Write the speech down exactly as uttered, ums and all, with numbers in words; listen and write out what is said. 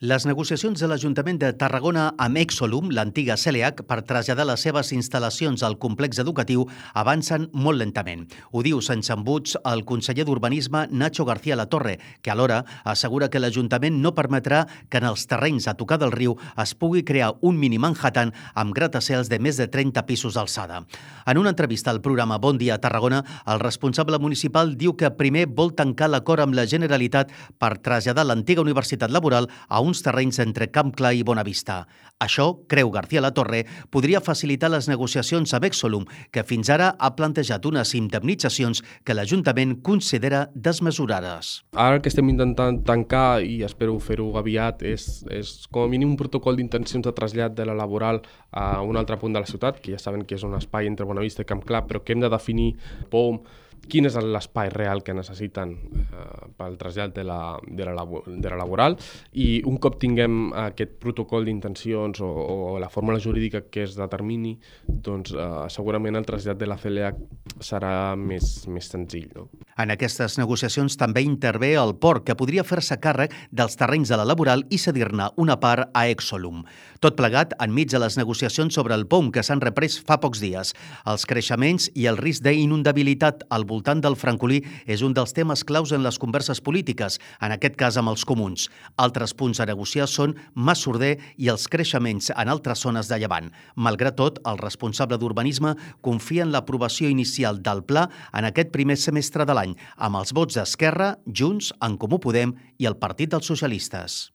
Les negociacions de l'Ajuntament de Tarragona amb Exolum, l'antiga C L H, per traslladar les seves instal·lacions al complex educatiu avancen molt lentament. Ho diu sense embuts el conseller d'Urbanisme Nacho García Latorre, que alhora assegura que l'Ajuntament no permetrà que en els terrenys a tocar del riu es pugui crear un mini Manhattan amb gratacels de més de trenta pisos d'alçada. En una entrevista al programa Bon Dia Tarragona, el responsable municipal diu que primer vol tancar l'acord amb la Generalitat per traslladar l'antiga Universitat Laboral a un uns terrenys entre Camp Clar i Bonavista. Això, creu García Latorre, podria facilitar les negociacions amb Exolum, que fins ara ha plantejat unes indemnitzacions que l'Ajuntament considera desmesurades. Ara el que estem intentant tancar, i espero fer-ho aviat, és, és com a mínim un protocol d'intencions de trasllat de la laboral a un altre punt de la ciutat, que ja saben que és un espai entre Bonavista i Camp Clar, però que hem de definir P O M, quin és l'espai real que necessiten eh, pel trasllat de la, de, la, de la laboral, i un cop tinguem aquest protocol d'intencions o, o la fórmula jurídica que es determini, doncs eh, segurament el trasllat de la C L H serà més, més senzill. No? En aquestes negociacions també intervé el port, que podria fer-se càrrec dels terrenys de la laboral i cedir-ne una part a Exolum. Tot plegat enmig de les negociacions sobre el P O M que s'han reprès fa pocs dies. Els creixements i el risc d'inundabilitat al voltant del Francolí és un dels temes claus en les converses polítiques, en aquest cas amb els comuns. Altres punts a negociar són Massorder i els creixements en altres zones de Llevant. Malgrat tot, el responsable d'Urbanisme confia en l'aprovació inicial del pla en aquest primer semestre de l'any, amb els vots d'Esquerra, Junts, En Comú Podem i el Partit dels Socialistes.